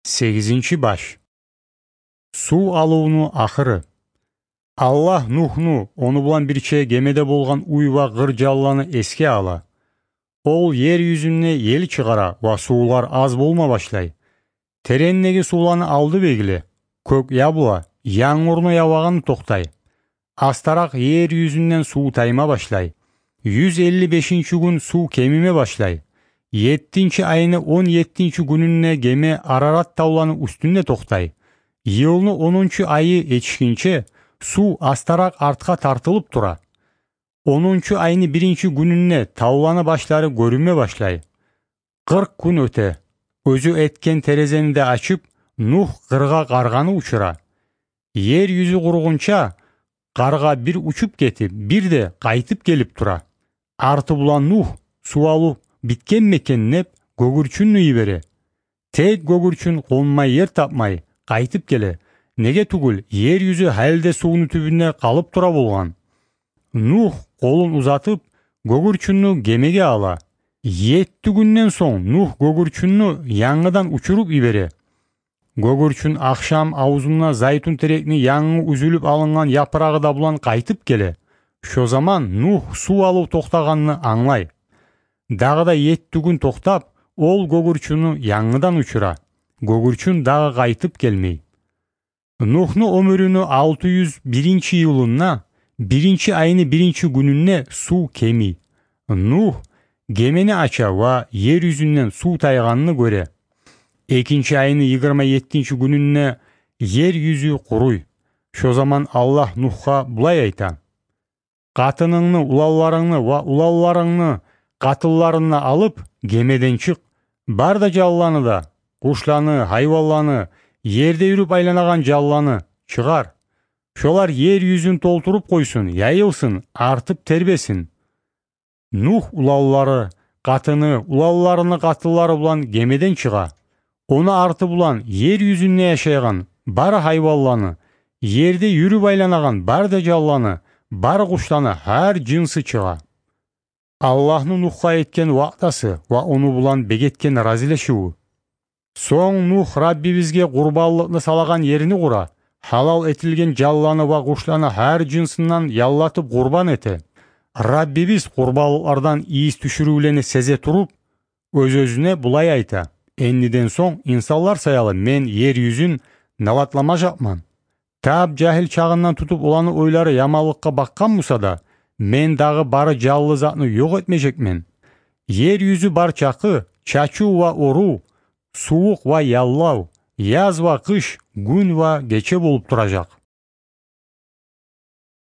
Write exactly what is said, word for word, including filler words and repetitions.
Сегизинчи баш. Сув алывну ахыры. Аллагь Нугьну, ону булан бирче гемеде болгъан уьй ва къыр жанланы эсге ала. Ол ер юзюнде ел чыгъара ва сувлар аз болма башлай. Терендеги сувланы алды бегиле, кёк ябула, янгурну явагъаны токътай. Астаракъ ер юзюнден сув тайма башлай. Юз элли бешинчи гюн сув кемиме башлай. Еттинчи айны он еттинчи гюнюнде геме Арарат тавланы уьстюнде токътай. Йылны онунчу айы етишгинче сув астаракъ артгъа тартылып тура. Онунчу айны биринчи гюнюнде тавланы башлары гёрюнме башлай. Къыркъ гюн оьте. Оьзю этген терезени де ачып, Нугь къыргъа къаргъаны учура. Ер юзю къуругъунча, къаргъа бир учуп гетип, бир де къайтып гелип тура. Арты булан Нугь, сув алыв битгенми экен деп, гёгюрчюнню йибере. Тек гёгюрчюн къонмай ер тапмай, къайтып геле. Неге тюгюл, ер юзю гьали де сувну тюбюнде къалып тура болгъан. Нугь къолун узатып, гёгюрчюнню гемеге ала. Етти гюнден сонг Нугь гёгюрчюнню янгыдан учуруп йибере. Гёгюрчюн ахшам авзунда зайтун терекни янгы уьзюлюп алынгъан япырагъы да булан къайтып геле. Шо заман Нугь сув алыв токътагъанны англай. Дагъы да етти гюн токътап, ол гёгюрчюнню янгыдан учура. Гёгюрчюн дагъы къайтып гелмей. Нугьну оьмюрюню алты юз биринчи йылында, биринчи айны биринчи гюнюнде сув кемий. Нугь гемени ача ва ер юзюнден сув тайгъанны гёре. Экинчи айны йигирма еттинчи гюнюнде ер юзю къуруй. Шо заман Аллагь Нугьгъа булай айта: «Къатынынгны, уланларынгны ва уланларынгны къатынларын да алып, гемеден чыкъ. Бар да жанланы да, къушланы, гьайванланы, ерде юрюп айланагъан жанланы чыгъар. Шолар ер юзюн толтуруп къойсун, яйылсын, артып тербесин». Нугь уланлары, къатыны, уланларыны къатынлары булан гемеден чыгъа. Ону арты булан ер юзюнде яшайгъан бары гьайванланы, ерде юрюп айланагъан бары да жанланы, бары къушланы, гьар жынсы чыгъа. Аллагьны Нугьгъа этген ваъдасы ва ону булан бек этген разилешиви. Сонг Нугь Раббибизге къурбанлыкъны салагъан ерни къура, гьалал этилген жанланы ва къушланы гьар жынсындан яллатып къурбан эте. Раббибиз къурбанлыкълардан ийис тюшюрювлени сезе туруп, оьз-оьзюне булай айта: «Эндиден сонг инсанлар саялы мен ер юзюн налатламажакъман». Тап жагьил чагъындан тутуп оланы ойлары яманлыкъгъа бакъгъан буса да, мен дагъы бары жанлы затны ёкъ этмежекмен. Ер юзю бар чакъы чачыв ва орув, сувукъ ва яллав, яз ва къыш, гюн ва гече болуп туражакъ.